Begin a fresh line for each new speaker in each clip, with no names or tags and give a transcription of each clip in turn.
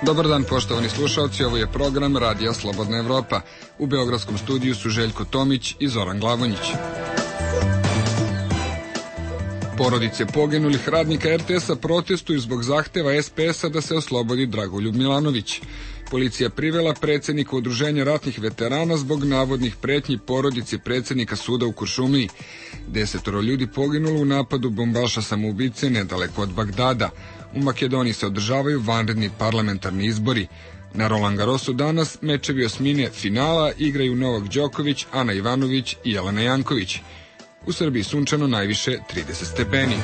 Dobar dan, poštovani slušalci, ovo je program Radija Slobodna Evropa. U beogradskom studiju su Željko Tomić i Zoran Glavonjić. Porodice poginulih radnika RTS-a protestuju zbog zahteva SPS-a da se oslobodi Dragoljub Milanović. Policija privela predsjednika Udruženja ratnih veterana zbog navodnih pretnji porodici predsjednika suda u Kuršumliji. 10 ljudi poginulo u napadu bombaša samoubice nedaleko od Bagdada. U Makedoniji se održavaju vanredni parlamentarni izbori. Na Roland Garrosu danas mečevi osmine finala igraju Novak Đoković, Ana Ivanović i Jelena Janković. U Srbiji sunčano najviše 30 stepeni.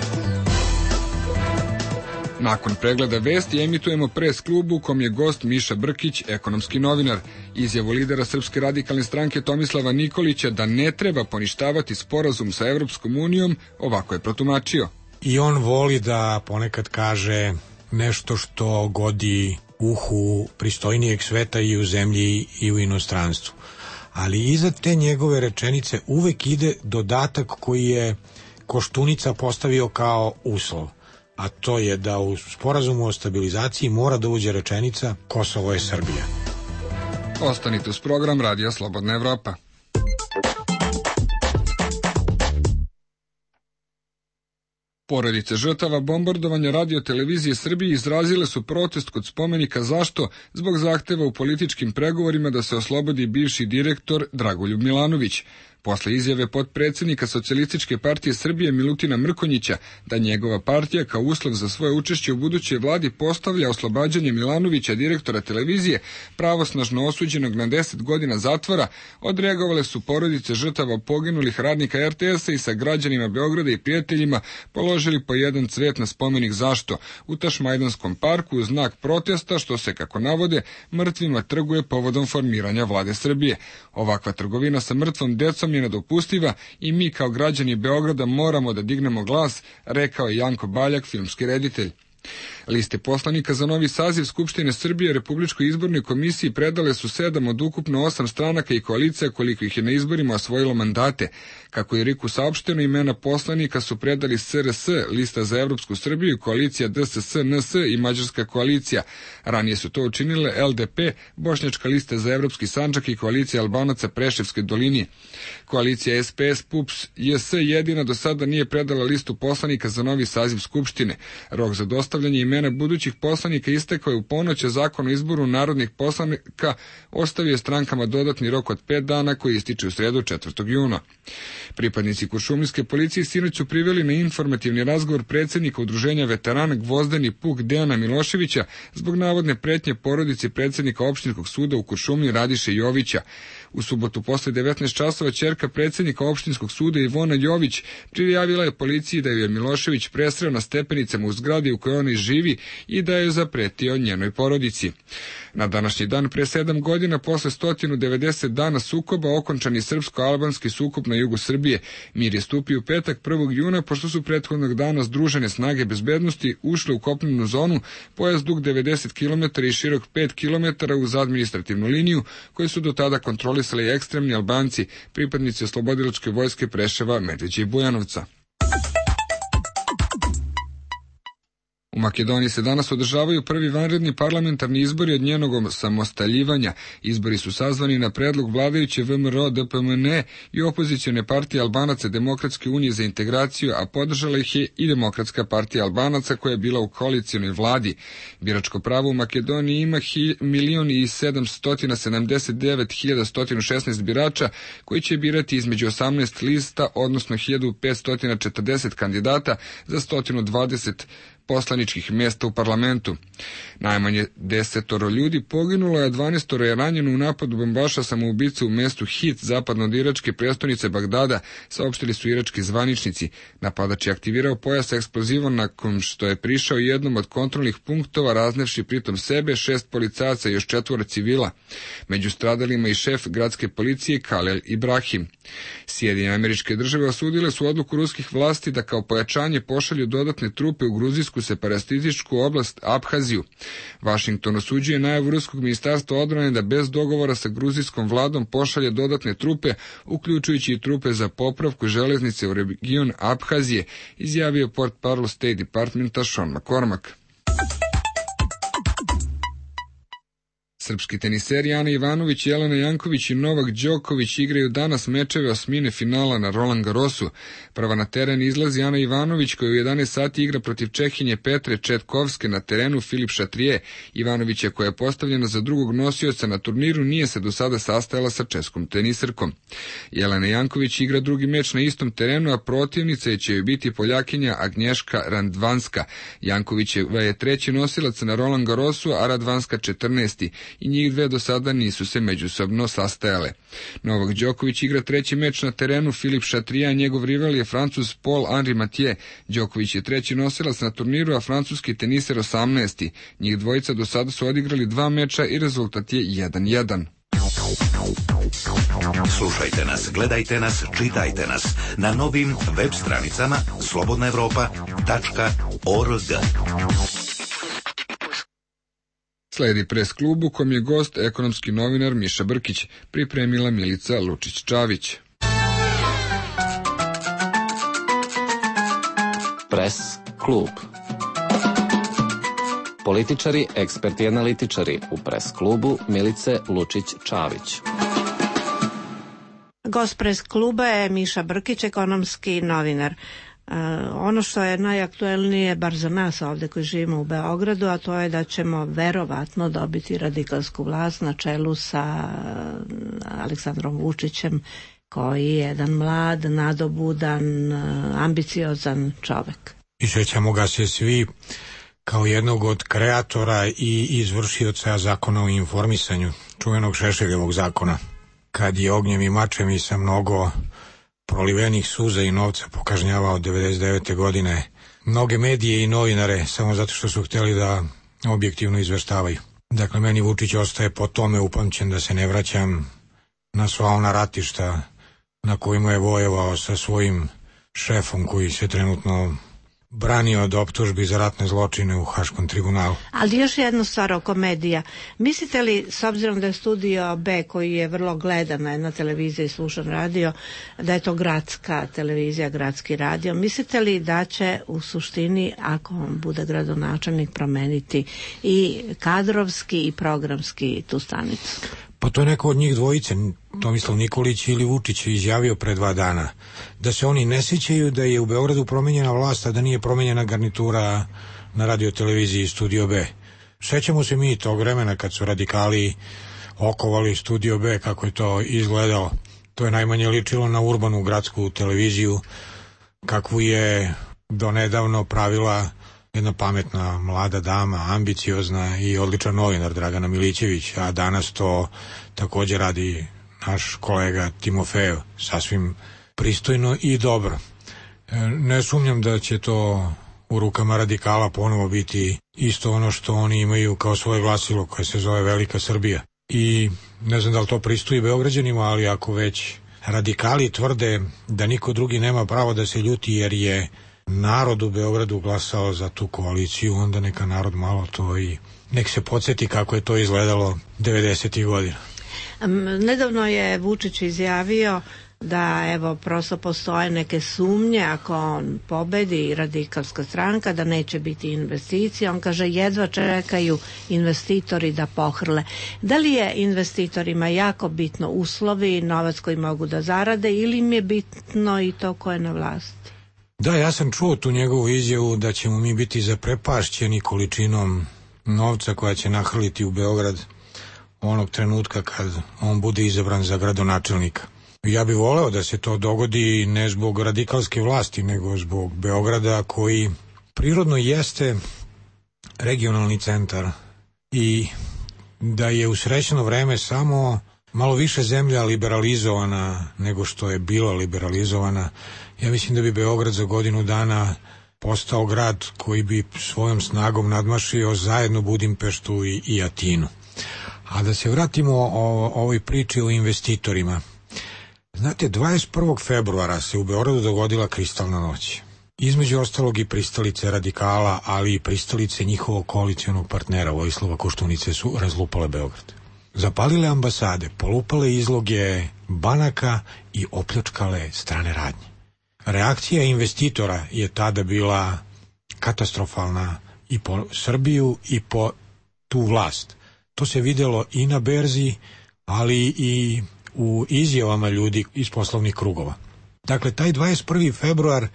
Nakon pregleda vesti emitujemo pres klubu u kom je gost Miša Brkić, ekonomski novinar. Izjavu lidera Srpske radikalne stranke Tomislava Nikolića da ne treba poništavati sporazum sa Evropskom unijom, ovako je protumačio.
I on voli da ponekad kaže nešto što godi uhu pristojnijeg sveta i u zemlji i u inostranstvu. Ali iza te njegove rečenice uvek ide dodatak koji je Koštunica postavio kao uslov, a to je da u sporazumu o stabilizaciji mora da uđe rečenica Kosovo je Srbija.
Ostanite uz program Radija Slobodna Evropa. Porodice žrtava bombardovanja Radio-televizije Srbije izrazile su protest kod spomenika Zašto zbog zahteva u političkim pregovorima da se oslobodi bivši direktor Dragoljub Milanović. Posle izjave potpredsjednika Socijalističke partije Srbije Milutina Mrkonjića da njegova partija kao uslov za svoje učešće u budućoj vladi postavlja oslobađanje Milanovića, direktora televizije, pravosnažno osuđenog na 10 godina zatvora, odreagovale su porodice žrtava poginulih radnika RTS-a i sa građanima Beograda i prijateljima položili po jedan cvet na spomenik Zašto u Tašmajdanskom parku u znak protesta što se, kako navode, mrtvima trguje povodom formiranja vlade Srbije. Ovakva trgovina sa mrtvom decom je nedopustiva i mi kao građani Beograda moramo da dignemo glas, rekao je Janko Baljak, filmski reditelj. Liste poslanika za novi saziv Skupštine Srbije Republičkoj izbornoj komisiji predale su 7 od ukupno 8 stranaka i koalicija koliko ih je na izborima osvojilo mandate. Kako je RIK-u saopšteno, imena poslanika su predali SRS, Lista za Evropsku Srbiju, koalicija DSS, NS i Mađarska koalicija. Ranije su to učinile LDP, Bošnjačka lista za Evropski Sandžak i koalicija Albanaca Preševske doline. Koalicija SPS, PUPS, JS jedina do sada nije predala listu poslanika za novi saziv Skupštine. Rok za dostavljanje imena budućih poslanika istekao je u ponoć, a Zakon o izboru narodnih poslanika ostavio strankama dodatni rok od 5 dana koji ističe u sredu 4. juna. Pripadnici kuršumlijske policije sinoć su priveli na informativni razgovor predsjednika Udruženja veterana Gvozdeni Puk Dejana Miloševića zbog navodne pretnje porodici predsjednika opštinskog suda u Kuršumliji Radiše Jovića. U subotu posle 19 časova ćerka predsjednika opštinskog suda Ivona Jović prijavila je policiji da je Milošević presreo na stepenicama u zgradi u kojoj ona živi i da je zapretio njenoj porodici. Na današnji dan pre 7 godina, posle 190 dana sukoba, okončan je srpsko-albanski sukob na jugu Srbije. Mir je stupio u petak 1. juna, pošto su prethodnog dana združene snage bezbednosti ušle u kopnenu zonu, pojas dug 90 km i širok 5 km uz administrativnu liniju, koju su do tada kontrolisali ekstremni Albanci, pripadnici oslobodilačke vojske Preševa, Medveđe i Bujanovca. U Makedoniji se danas održavaju prvi vanredni parlamentarni izbori od njenog samostaljivanja. Izbori su sazvani na predlog vladajuće VMRO DPMN i opozicione partije Albanaca Demokratske unije za integraciju, a podržala ih je i Demokratska partija Albanaca koja je bila u koalicijonoj vladi. Biračko pravo u Makedoniji ima 1.779.116 birača koji će birati između 18 lista, odnosno 1540 kandidata za 120 poslaničkih mjesta u parlamentu. Najmanje 10 ljudi poginulo, a 12 je ranjeno u napadu bombaša samoubice u mestu Hit, zapadno od iračke prestonice Bagdada, saopštili su irački zvaničnici. Napadač je aktivirao pojas eksplozivom nakon što je prišao jednom od kontrolnih punktova, raznevši pritom sebe, 6 policajaca i još 4 civila. Među stradalima i šef gradske policije Kalel Ibrahim. Sjedinjene Američke Države osudile su odluku ruskih vlasti da kao pojačanje pošalju dodatne trupe u gruzijsku separatističku oblast Abhaziju. Vašington osuđuje najavu ruskog ministarstva odbrane da bez dogovora sa gruzijskom vladom pošalje dodatne trupe, uključujući i trupe za popravku železnice u region Abhazije, izjavio portparol State Departmenta Sean McCormack. Srpski teniseri Ana Ivanović, Jelena Janković i Novak Đoković igraju danas mečeve osmine finala na Roland Garrosu. Prva na teren izlazi Ana Ivanović, koja u 11 sati igra protiv Čehinje Petre Četkovske, na terenu Filip Šatrije. Ivanovića, koja je postavljena za drugog nosioca na turniru, nije se do sada sastajala sa českom teniserkom. Jelena Janković igra drugi meč na istom terenu, a protivnica će joj biti Poljakinja Agnješka Radvanska. Jankovićeva je treći nosilac na Roland Garrosu, a Radvanska 14. i njih dve do sada nisu se međusobno sastajale. Novak Đoković igra treći meč na terenu Filip Šatrija, a njegov rival je Francuz Paul-Henri Mathieu. Đoković je treći nosilac na turniru, a francuski teniser 18. Njih dvojica do sada su odigrali 2 meča i rezultat je 1:1.
Slušajte nas, gledajte nas, čitajte nas na novim web stranicama slobodnaevropa.org.
Sledi pres klub u kom je gost ekonomski novinar Miša Brkić, pripremila Milica Lučić-Čavić.
Pres klub. Političari, eksperti i analitičari u pres klubu Milice Lučić-Čavić.
Gost pres kluba je Miša Brkić, ekonomski novinar. Ono što je najaktuelnije, bar za nas ovde koji živimo u Beogradu, a to je da ćemo verovatno dobiti radikalsku vlast na čelu sa Aleksandrom Vučićem, koji je jedan mlad, nadobudan, ambiciozan čovek.
I sjećamo ga se svi kao jednog od kreatora i izvršioca zakona o informisanju, čuvenog Šešeljevog zakona, kad je ognjem i mačem i sa mnogo prolivenih suza i novca pokažnjavao 99. godine mnoge medije i novinare samo zato što su htjeli da objektivno izveštavaju. Dakle, meni Vučić ostaje po tome upamćen da se ne vraćam na sva ona ratišta na kojima je vojevao sa svojim šefom koji se trenutno branio od optužbi za ratne zločine u Haškom tribunalu.
Ali još jednu stvar oko medija. Mislite li, s obzirom da je Studio B, koji je vrlo gledana na televiziji i slušan radio, da je to gradska televizija, gradski radio, mislite li da će u suštini, ako on bude gradonačelnik, promeniti i kadrovski i programski tu stanicu?
Pa to je neko od njih dvojice, Tomislav Nikolić ili Vučić, izjavio pre 2 dana, da se oni ne sjećaju da je u Beogradu promenjena vlast, a da nije promenjena garnitura na radioteleviziji Studio B. Sećamo se mi tog vremena kad su radikali okovali Studio B, kako je to izgledalo. To je najmanje ličilo na urbanu gradsku televiziju, kakvu je donedavno pravila jedna pametna mlada dama, ambiciozna i odličan novinar Dragana Milićević, a danas to također radi naš kolega Timofejev, sasvim pristojno i dobro. Ne sumnjam da će to u rukama radikala ponovo biti isto ono što oni imaju kao svoje glasilo koje se zove Velika Srbija. I ne znam da li to pristoji Beograđanima, ali ako već radikali tvrde da niko drugi nema pravo da se ljuti jer je narod u Beogradu glasao za tu koaliciju, onda neka narod malo to i nek se podsjeti kako je to izgledalo 90. godina.
Nedavno je Vučić izjavio da evo prosto postoje neke sumnje ako on pobedi radikalska stranka da neće biti investicija. On kaže jedva čekaju investitori da pohrle. Da li je investitorima jako bitno uslovi, novac koji mogu da zarade ili im je bitno i to ko je na vlasti?
Da, ja sam čuo tu njegovu izjavu da ćemo mi biti zaprepašćeni količinom novca koja će nahrliti u Beograd onog trenutka kad on bude izabran za gradonačelnika. Ja bih voleo da se to dogodi ne zbog radikalske vlasti, nego zbog Beograda koji prirodno jeste regionalni centar i da je u srećno vreme samo malo više zemlja liberalizovana nego što je bila liberalizovana. Ja mislim da bi Beograd za godinu dana postao grad koji bi svojom snagom nadmašio zajedno Budimpeštu i Atinu. A da se vratimo o ovoj priči o investitorima. Znate, 21. februara se u Beogradu dogodila kristalna noć. Između ostalog i pristalice radikala, ali i pristalice njihovog koalicionog partnera Vojislava Koštunice su razlupale Beograd. Zapalile ambasade, polupale izloge banaka i opljačkale strane radnje. Reakcija investitora je tada bila katastrofalna i po Srbiju i po tu vlast. To se videlo i na berzi, ali i u izjavama ljudi iz poslovnih krugova. Dakle, taj 21. februar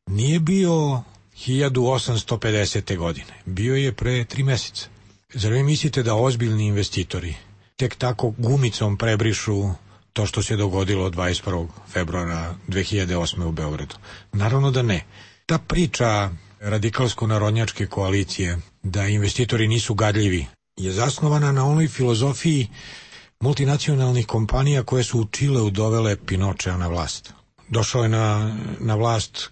nije bio 1850. godine, bio je pre 3 meseca. Zar vi mislite da ozbiljni investitori tek tako gumicom prebrišu to što se dogodilo 21. februara 2008. u Beogradu? Naravno da ne. Ta priča radikalsko-narodnjačke koalicije da investitori nisu gadljivi je zasnovana na onoj filozofiji multinacionalnih kompanija koje su u Čileu dovele Pinochea na vlast. Došao je na vlast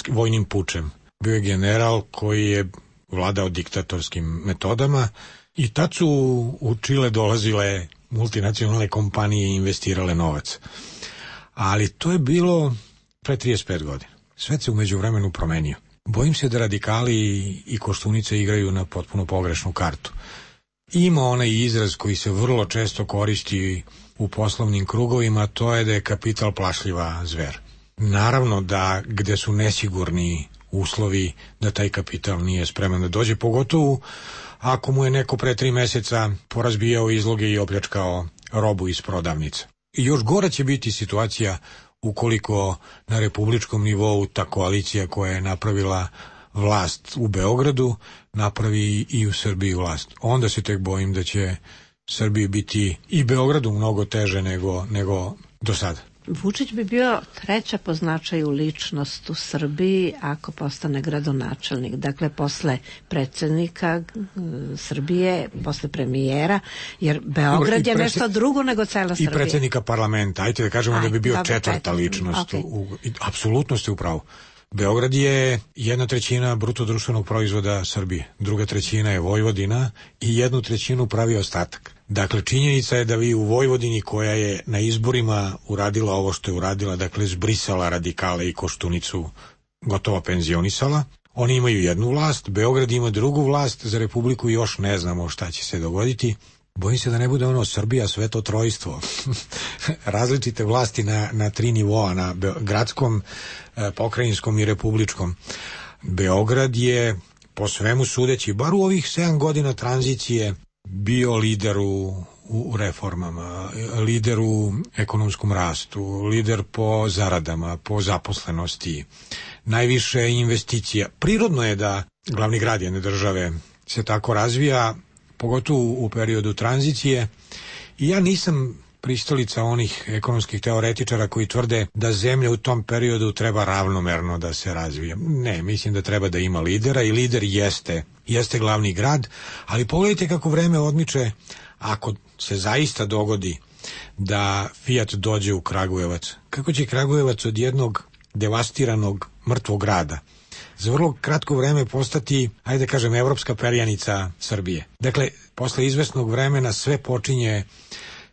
vojnim pučem. Bio je general koji je vladao diktatorskim metodama i tad su u Čile dolazile multinacionalne kompanije i investirale novac. Ali to je bilo pre 35 godina. Svet se umeđu vremenu promenio. Bojim se da radikali i Koštunice igraju na potpuno pogrešnu kartu. Ima onaj izraz koji se vrlo često koristi u poslovnim krugovima, to je da je kapital plašljiva zver. Naravno da gde su nesigurni uslovi da taj kapital nije spreman da dođe, pogotovo ako mu je neko pre 3 meseca porazbijao izloge i opljačkao robu iz prodavnica. I još gora će biti situacija ukoliko na republičkom nivou ta koalicija koja je napravila vlast u Beogradu napravi i u Srbiji vlast. Onda se tek bojim da će Srbiji biti i Beogradu mnogo teže nego do sada.
Vučić bi bio treća po značaju ličnost u Srbiji ako postane gradonačelnik. Dakle, posle predsjednika Srbije, posle premijera, jer Beograd je nešto drugo nego cela Srbija.
I predsjednika parlamenta. Ajde da kažemo da bi bio četvrta ličnost. Okay. Apsolutno ste u pravu. Beograd je 1/3 bruto društvenog proizvoda Srbije, 2/3 je Vojvodina i 1/3 pravi ostatak. Dakle, činjenica je da vi u Vojvodini, koja je na izborima uradila ovo što je uradila, dakle zbrisala radikale i Koštunicu, gotovo penzionisala, oni imaju jednu vlast, Beograd ima drugu vlast, za Republiku još ne znamo šta će se dogoditi. Bojim se da ne bude ono Srbija sveto trojstvo. Različite vlasti na 3 nivoa, na gradskom, pokrajinskom i republičkom. Beograd je, po svemu sudeći, bar u ovih 7 godina tranzicije, bio lider u reformama, lider u ekonomskom rastu, lider po zaradama, po zaposlenosti, najviše investicija. Prirodno je da glavni grad jedne države se tako razvija, pogotovo u periodu tranzicije, i ja nisam pristalica onih ekonomskih teoretičara koji tvrde da zemlja u tom periodu treba ravnomerno da se razvija. Ne, mislim da treba da ima lidera i lider jeste glavni grad, ali pogledajte kako vreme odmiče. Ako se zaista dogodi da Fiat dođe u Kragujevac, kako će Kragujevac od jednog devastiranog mrtvog grada za vrlo kratko vreme postati, ajde da kažem, evropska perjanica Srbije. Dakle, posle izvesnog vremena sve počinje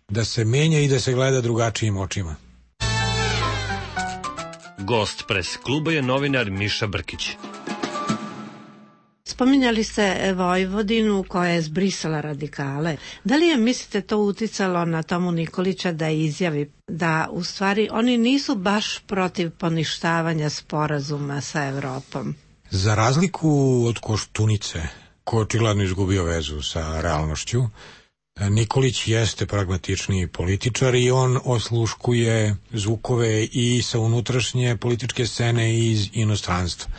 da se menja i da se gleda drugačijim očima.
Gost pres kluba je novinar Miša Brkić.
Spominjali ste Vojvodinu koja je zbrisala radikale. Da li je, mislite, to uticalo na Tomu Nikolića da izjavi da u stvari oni nisu baš protiv poništavanja sporazuma sa Evropom?
Za razliku od Koštunice, ko je očigledno izgubio vezu sa realnošću, Nikolić jeste pragmatični političar i on osluškuje zvukove i sa unutrašnje političke scene i iz inostranstva.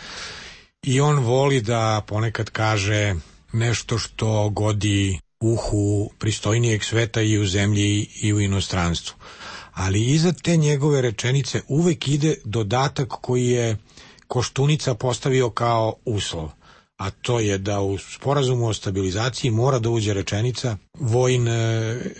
I on voli da ponekad kaže nešto što godi uhu pristojnijeg sveta i u zemlji i u inostranstvu. Ali iza te njegove rečenice uvek ide dodatak koji je Koštunica postavio kao uslov, a to je da u sporazumu o stabilizaciji mora da uđe rečenica vojn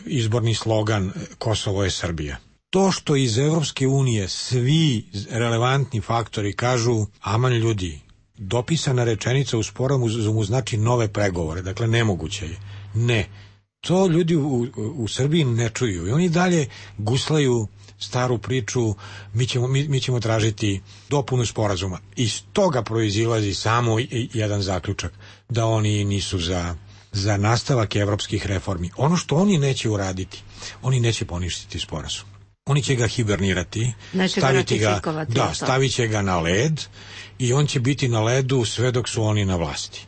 izborni slogan Kosovo je Srbija. To što iz Evropske unije svi relevantni faktori kažu aman ljudi, dopisana rečenica u sporazumu znači nove pregovore, dakle nemoguće je. Ne, to ljudi u Srbiji ne čuju i oni dalje guslaju staru priču, mi ćemo tražiti dopunu sporazuma. Iz toga proizilazi samo jedan zaključak, da oni nisu za nastavak evropskih reformi. Ono što oni neće uraditi, oni neće poništiti sporazum. Oni će ga hibernirati, stavit će ga na led i on će biti na ledu sve dok su oni na vlasti.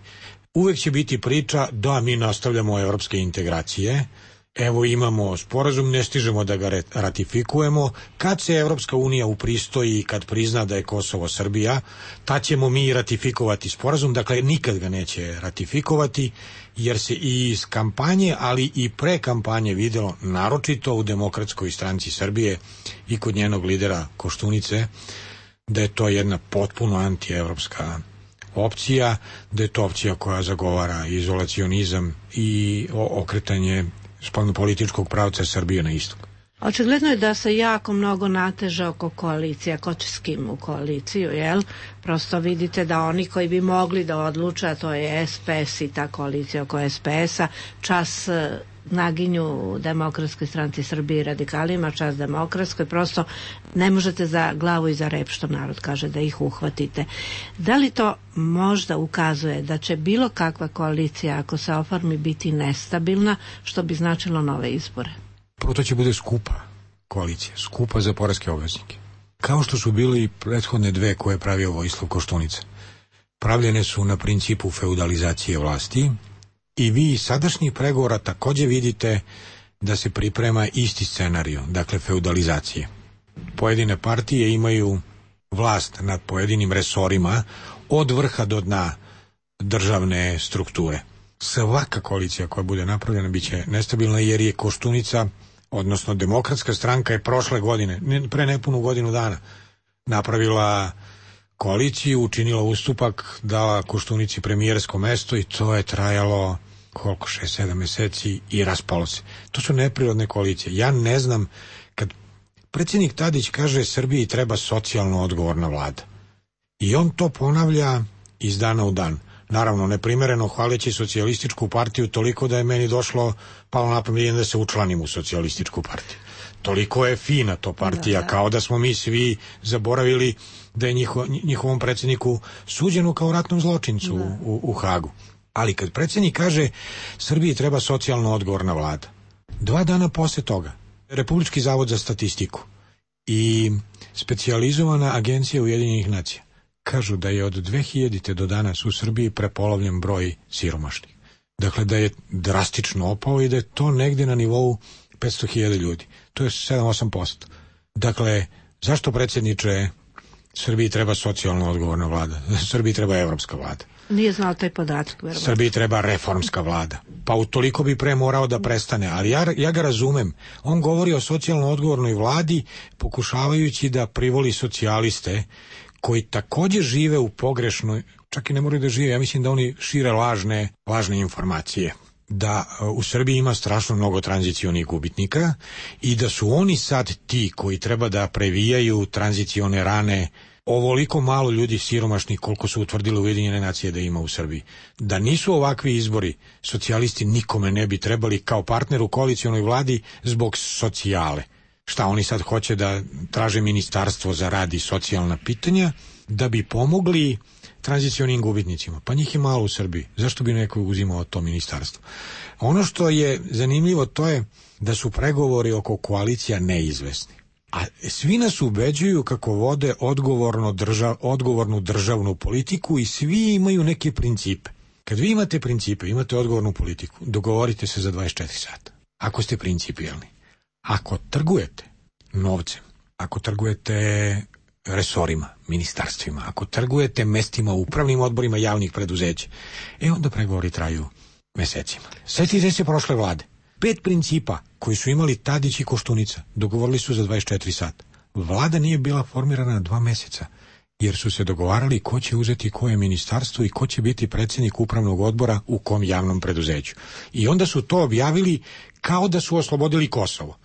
uvek će biti priča da mi nastavljamo evropske integracije, evo imamo sporazum, ne stižemo da ga ratifikujemo, kad se Evropska unija upristoji i kad prizna da je Kosovo Srbija, tad ćemo mi ratifikovati sporazum, dakle nikad ga neće ratifikovati, jer se i iz kampanje, ali i pre kampanje videlo, naročito u Demokratskoj stranci Srbije i kod njenog lidera Koštunice, da je to jedna potpuno antievropska opcija, da je to opcija koja zagovara izolacionizam i okretanje spoljnopolitičkog pravca Srbije na istok.
Očigledno je da se jako mnogo nateže oko koalicija, ko će s kim u koaliciju, jel? Prosto vidite da oni koji bi mogli da odluče, a to je SPS i ta koalicija oko SPS-a, čas naginju Demokratskoj stranci Srbije i radikalima, čas Demokratskoj, prosto ne možete za glavu i za rep, što narod kaže, da ih uhvatite. Da li to možda ukazuje da će bilo kakva koalicija, ako se oformi, biti nestabilna, što bi značilo nove izbore?
Prvo, to će bude skupa koalicija, skupa za poreske obveznike. Kao što su bili i prethodne dve koje je pravio Vojislav Koštunica. Pravljene su na principu feudalizacije vlasti i vi iz sadašnjih pregovora takođe vidite da se priprema isti scenarij, dakle feudalizacije. Pojedine partije imaju vlast nad pojedinim resorima od vrha do dna državne strukture. Svaka koalicija koja bude napravljena biće nestabilna, jer je Koštunica, odnosno Demokratska stranka, je prošle godine, pre nepunu godinu dana, napravila koaliciju, učinila ustupak, dala Koštunici premijersko mesto i to je trajalo koliko, 6-7 meseci i raspalo se. To su neprirodne koalicije. Ja ne znam, kad predsjednik Tadić kaže Srbiji treba socijalno odgovorna vlada i on to ponavlja iz dana u dan. Naravno, neprimereno hvaleći socijalističku partiju toliko da je meni palo na pamet da se učlanim u socijalističku partiju. Toliko je fina to partija, kao da smo mi svi zaboravili da je njihovom predsjedniku suđeno kao ratnom zločincu u Hagu. Ali kad predsjednik kaže Srbiji treba socijalno odgovorna vlada, 2 dana posle toga Republički zavod za statistiku i specijalizovana agencija Ujedinjenih nacija kažu da je od 2000. do danas u Srbiji prepolovljen broj siromašnih. Dakle, da je drastično opao i da je to negde na nivou 500.000 ljudi. To je 7-8%. Dakle, zašto, predsjedniče, Srbiji treba socijalno odgovorna vlada? Srbiji treba evropska vlada.
Nije znao taj podatak, verovatno.
Srbiji treba reformska vlada. Pa utoliko bi pre morao da prestane. Ali ja ga razumem. On govori o socijalno odgovornoj vladi pokušavajući da privoli socijaliste koji takođe žive u pogrešnoj, čak i ne moraju da žive, ja mislim da oni šire lažne informacije. Da u Srbiji ima strašno mnogo tranzicionih gubitnika i da su oni sad ti koji treba da previjaju tranzicione rane ovoliko malo ljudi siromašnih koliko su utvrdile Ujedinjene nacije da ima u Srbiji. Da nisu ovakvi izbori, socijalisti nikome ne bi trebali kao partner u koalicionoj vladi zbog socijale. Šta oni sad hoće da traže ministarstvo za rad i socijalna pitanja da bi pomogli tranzicionim gubitnicima? Pa njih je malo u Srbiji. Zašto bi neko uzimao to ministarstvo? Ono što je zanimljivo to je da su pregovori oko koalicija neizvesni. A svi nas ubeđuju kako vode odgovornu državnu politiku i svi imaju neke principe. Kad vi imate principe, imate odgovornu politiku, dogovorite se za 24 sata. Ako ste principijelni. Ako trgujete novcem, ako trgujete resorima, ministarstvima, ako trgujete mestima u upravnim odborima javnih preduzeća, onda pregovori traju mesecima. Sjetite se prošle vlade. 5 principa koji su imali Tadić i Koštunica dogovorili su za 24 sata. Vlada nije bila formirana 2 meseca, jer su se dogovarali ko će uzeti koje ministarstvo i ko će biti predsjednik upravnog odbora u kom javnom preduzeću. I onda su to objavili kao da su oslobodili Kosovo.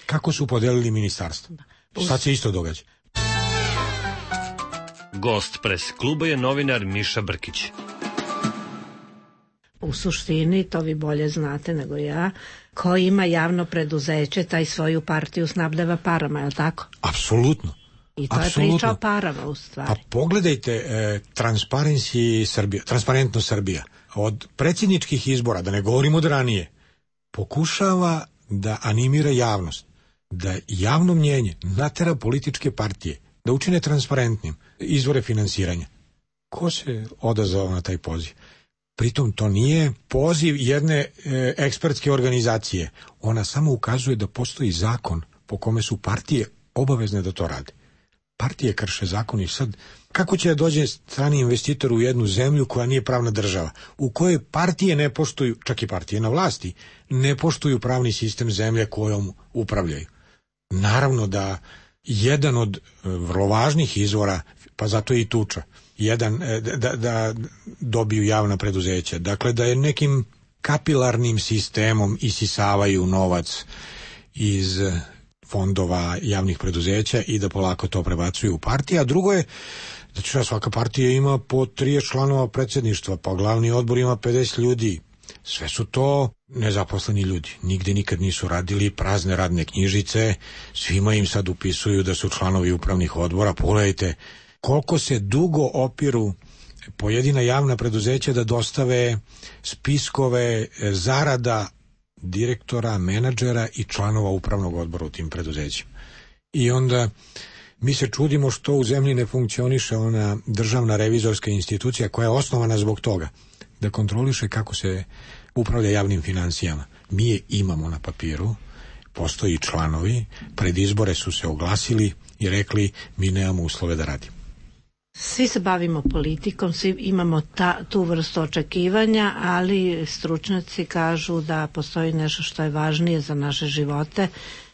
Kako su podelili ministarstvo? Sad se isto događa.
Gost pres kluba je novinar Miša Brkić.
U suštini, to vi bolje znate nego ja, ko ima javno preduzeće, taj svoju partiju snabdeva parama, je li tako?
Apsolutno.
I to je priča o parama, u stvari.
Pa pogledajte Transparentnost Srbija. Od predsjedničkih izbora, da ne govorimo od ranije, pokušava da animira javnost, da javno mnjenje natera političke partije, da učine transparentnim izvore finansiranja. Ko se odazvao na taj poziv? Pritom to nije poziv jedne ekspertske organizacije. Ona samo ukazuje da postoji zakon po kome su partije obavezne da to rade. Partije krše zakon i sad kako će da dođe strani investitor u jednu zemlju koja nije pravna država, u kojoj partije ne poštuju, čak i partije na vlasti, ne poštuju pravni sistem zemlje kojom upravljaju. Naravno da jedan od vrlo važnih izvora, pa zato je i tuča, da dobiju javna preduzeća. Dakle, da je nekim kapilarnim sistemom isisavaju novac iz fondova javnih preduzeća i da polako to prebacuju u partije. A drugo je, znači svaka partija ima po 30 članova predsjedništva, pa glavni odbor ima 50 ljudi. Sve su to nezaposleni ljudi. Nigde nikad nisu radili, prazne radne knjižice, svima im sad upisuju da su članovi upravnih odbora. Pogledajte koliko se dugo opiru pojedina javna preduzeća da dostave spiskove zarada direktora, menadžera i članova upravnog odbora u tim preduzećima. I onda mi se čudimo što u zemlji ne funkcioniše ona državna revizorska institucija koja je osnovana zbog toga, da kontroliše kako se upravlja javnim finansijama. Mi je imamo na papiru, postoji članovi, pred izbore su se oglasili i rekli mi nemamo uslove da radimo.
Svi se bavimo politikom, svi imamo tu vrstu očekivanja, ali stručnjaci kažu da postoji nešto što je važnije za naše živote,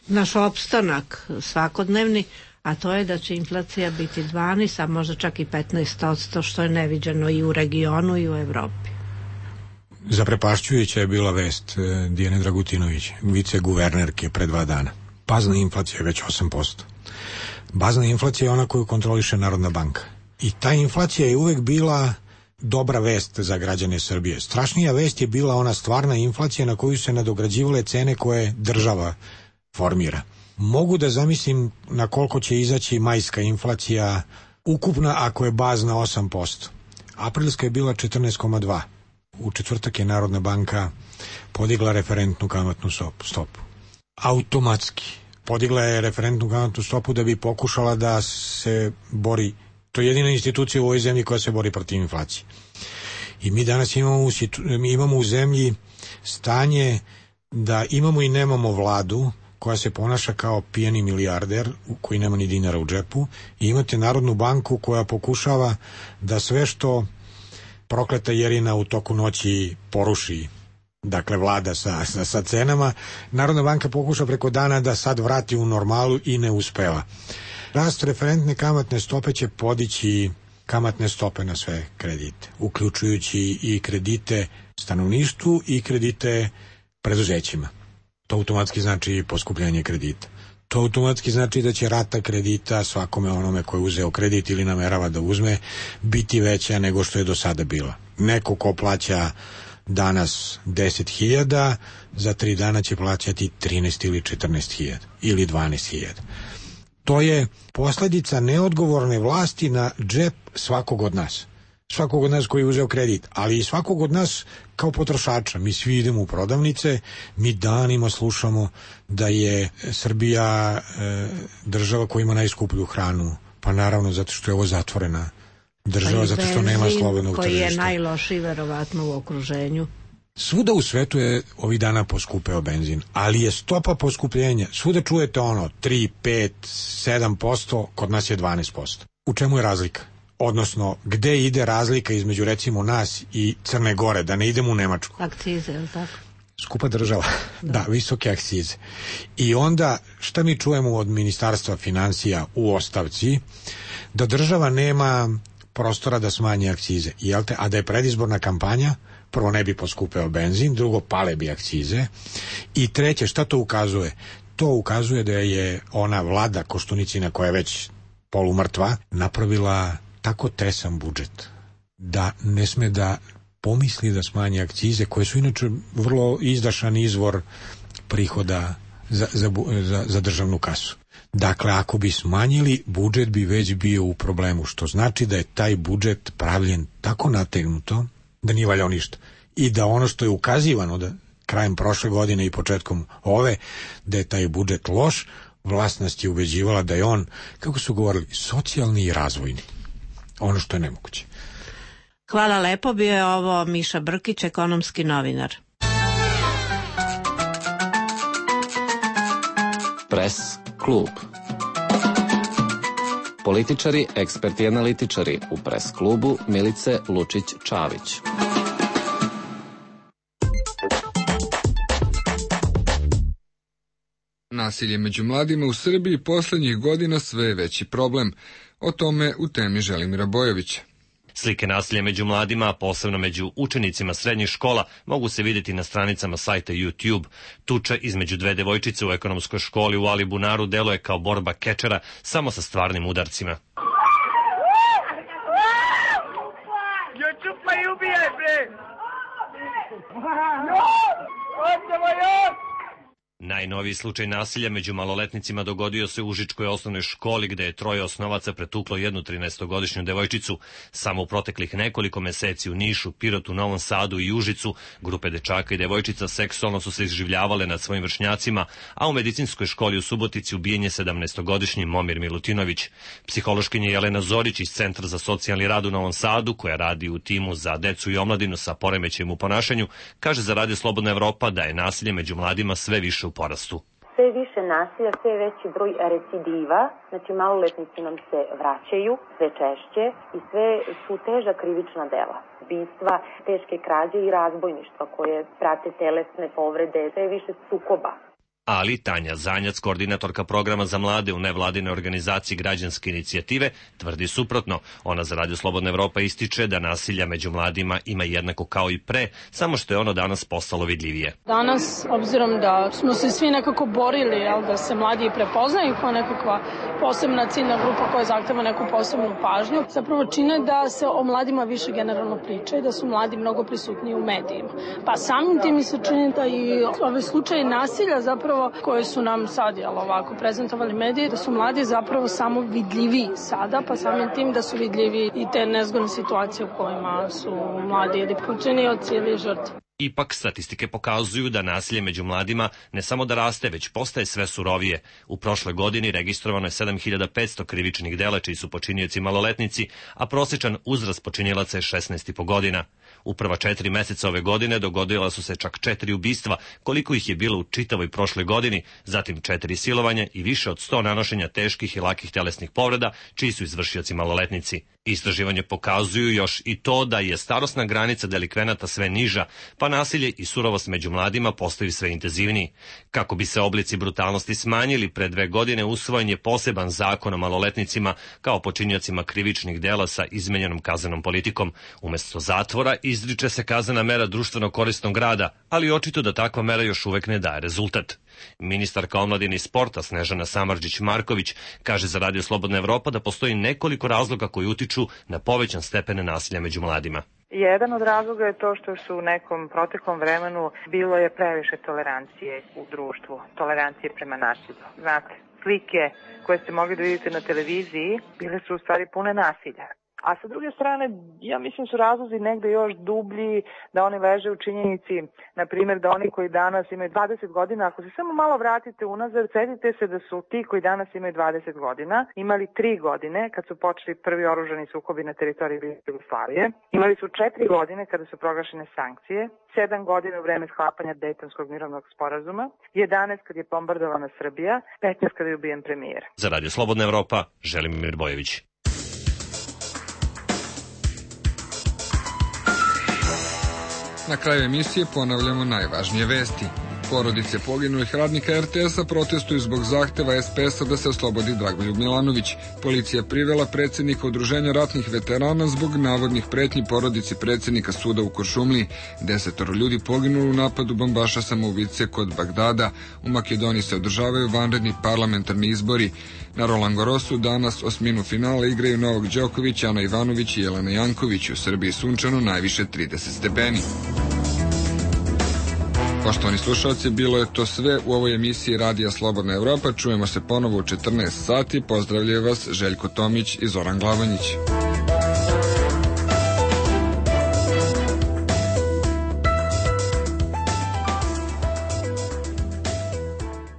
naš opstanak svakodnevni, a to je da će inflacija biti 12, a možda čak i 15%, što je neviđeno i u regionu i u Evropi.
Zaprepašćujuća je bila vest Dijane Dragutinović, viceguvernerke pre 2 dana. Bazna inflacija je već 8%. Bazna inflacija je ona koju kontroliše Narodna banka. I ta inflacija je uvek bila dobra vest za građane Srbije. Strašnija vest je bila ona stvarna inflacija na koju se nadograđivale cene koje država formira. Mogu da zamislim na koliko će izaći majska inflacija ukupna ako je bazna 8%. Aprilska je bila 14,2%. U četvrtak je Narodna banka podigla referentnu kamatnu stopu. Automatski. Podigla je referentnu kamatnu stopu da bi pokušala da se bori. To je jedina institucija u ovoj zemlji koja se bori protiv inflacije. I mi danas imamo u zemlji stanje da imamo i nemamo vladu koja se ponaša kao pijani milijarder koji nema ni dinara u džepu, i imate Narodnu banku koja pokušava da sve što prokleta Jerina u toku noći poruši, dakle vlada sa cenama, Narodna banka pokuša preko dana da sad vrati u normalu i ne uspeva. Rast referentne kamatne stope će podići kamatne stope na sve kredite, uključujući i kredite stanovništvu i kredite preduzećima. To automatski znači poskupljenje kredita. To automatski znači da će rata kredita svakome onome koji je uzeo kredit ili namerava da uzme biti veća nego što je do sada bila. Neko ko plaća danas 10.000, za 3 dana će plaćati 13 ili 14.000 ili 12.000. To je posljedica neodgovorne vlasti na džep svakog od nas. Svakog od nas koji je uzeo kredit, ali i svakog od nas kao potrošača. Mi svi idemo u prodavnice, mi danima slušamo da je Srbija država koja ima najskuplju hranu. Pa naravno zato što je ovo zatvorena država, zato što nema slobodnog tržišta. Koji je
najlošiji verovatno u okruženju.
Svuda u svetu je ovih dana poskupeo benzin, ali je stopa poskupljenja, svuda čujete 3, 5, 7%, kod nas je 12%. U čemu je razlika? Odnosno, gde ide razlika između recimo nas i Crne Gore, da ne idemo u Nemačku?
Akcize, je li tako?
Skupa država, da, visoke akcize. I onda, šta mi čujemo od Ministarstva finansija u ostavci? Da država nema prostora da smanji akcize, a da je predizborna kampanja, prvo ne bi poskupeo benzin, drugo pale bi akcize, i treće, šta to ukazuje? To ukazuje da je ona vlada Koštunicina, koja je već polumrtva, napravila tako tresan budžet da ne sme da pomisli da smanji akcize, koje su inače vrlo izdašan izvor prihoda za državnu kasu. Dakle, ako bi smanjili, budžet bi već bio u problemu, što znači da je taj budžet pravljen tako nategnuto da nije valjao ništa. I da ono što je ukazivano da krajem prošle godine i početkom ove, da je taj budžet loš, vlast nas je ubeđivala da je on, kako su govorili, socijalni i razvojni. Ono što je nemoguće.
Hvala lepo, bio je ovo Miša Brkić, ekonomski novinar.
Pres klub. Političari, eksperti i analitičari u Pres klubu Milice Lučić-Čavić.
Nasilje među mladima u Srbiji poslednjih godina sve je veći problem. O tome u temi Želimira Bojovića.
Slike nasilja među mladima, a posebno među učenicima srednjih škola, mogu se vidjeti na stranicama sajta YouTube. Tuča između dve devojčice u ekonomskoj školi u Alibunaru deluje kao borba kečera, samo sa stvarnim udarcima.
Jo, čupaj i ubijaj, bre!
Najnoviji slučaj nasilja među maloletnicima dogodio se u Užičkoj osnovnoj školi gde je troje osnovaca pretuklo jednu 13-godišnju devojčicu. Samo u proteklih nekoliko meseci u Nišu, Pirotu, Novom Sadu i Užicu grupe dečaka i devojčica seksualno su se izživljavale nad svojim vršnjacima, a u medicinskoj školi u Subotici ubijen je 17-godišnji Momir Milutinović. Psihološkinja Jelena Zorić iz Centra za socijalni rad u Novom Sadu, koja radi u timu za decu i omladinu sa poremećajem u ponašanju, kaže za Radio Slobodna Evropa da je nasilje među mladima sve više u porastu.
Sve više nasilja, sve veći broj recidiva, znači maloletnici nam se vraćaju sve češće i sve su teža krivična dela. Ubistva, teške krađe i razbojništva koje prate telesne povrede, sve više sukoba.
Ali Tanja Zanjac, koordinatorka programa za mlade u nevladinoj organizaciji Građanske inicijative, tvrdi suprotno. Ona za Radio Slobodna Evropa ističe da nasilja među mladima ima jednako kao i pre, samo što je ono danas postalo vidljivije.
Danas, obzirom da smo se svi nekako borili, da se mladi prepoznaju kao nekakva posebna ciljna grupa koja zahteva neku posebnu pažnju, zapravo čine da se o mladima više generalno priča i da su mladi mnogo prisutniji u medijima. Pa samim tim mi se čini da i ove slučaje nasilja zapravo koje su nam sad ovako prezentovali mediji, da su mladi zapravo samo vidljiviji sada, pa samim tim da su vidljivi i te nezgodne situacije u kojima su mladi ili počinioci ili žrtve.
Ipak, statistike pokazuju da nasilje među mladima ne samo da raste, već postaje sve surovije. U prošloj godini registrovano je 7500 krivičnih dela čiji su počinioci maloletnici, a prosječan uzrast počinilaca je 16,5 godina. U prva 4 meseca ove godine dogodila su se čak 4 ubistva, koliko ih je bilo u čitavoj prošloj godini, zatim 4 silovanja i više od 100 nanošenja teških i lakih telesnih povreda, čiji su izvršioci maloletnici. Istraživanje pokazuju još i to da je starosna granica delikvenata sve niža, pa nasilje i surovost među mladima postaju sve intenzivniji. Kako bi se oblici brutalnosti smanjili, pre 2 godine usvojen je poseban zakon o maloletnicima kao počiniocima krivičnih dela sa izmenjenom kaznenom politikom. Umesto zatvora izriče se kaznena mera društveno korisnog rada, ali očito da takva mera još uvek ne daje rezultat. Ministarka omladine i sporta Snežana Samardžić-Marković kaže za Radio Slobodna Evropa da postoji nekoliko razloga koji utiču na povećan stepen nasilja među mladima.
Jedan od razloga je to što su u nekom proteklom vremenu bilo je previše tolerancije u društvu, tolerancije prema nasilju. Znate, slike koje ste mogli da vidite na televiziji bile su u stvari pune nasilja. A sa druge strane, ja mislim su razlozi negde još dublji, da oni leže u činjenici, na primjer da oni koji danas imaju 20 godina, ako se samo malo vratite unazad, setite se da su ti koji danas imaju 20 godina imali 3 godine kad su počeli prvi oružani sukobi na teritoriji Jugoslavije, imali su 4 godine kada su proglašene sankcije, 7 godina u vreme sklapanja Dejtonskog mirovnog sporazuma, 11 kad je bombardovana Srbija, 15 kada je ubijen premijer.
Za Radio Slobodna Evropa, Želimir Bojović.
Na kraju emisije ponavljamo najvažnije vesti. Porodice poginulih radnika RTS-a protestuju zbog zahteva SPS-a da se oslobodi Dragoljub Milanović. Policija privela predsjednika Udruženja ratnih veterana zbog navodnih pretnji porodici predsjednika suda u Kuršumliji. 10 ljudi poginulo u napadu bombaša samoubice kod Bagdada. U Makedoniji se održavaju vanredni parlamentarni izbori. Na Roland Garrosu danas osminu finala igraju Novak Đoković, Ana Ivanović i Jelena Janković. U Srbiji sunčano najviše 30 stepeni. Poštovani slušalci, bilo je to sve u ovoj emisiji Radija Slobodna Evropa. Čujemo se ponovo u 14 sati. Pozdravljaju vas Željko Tomić i Zoran Glavanjić.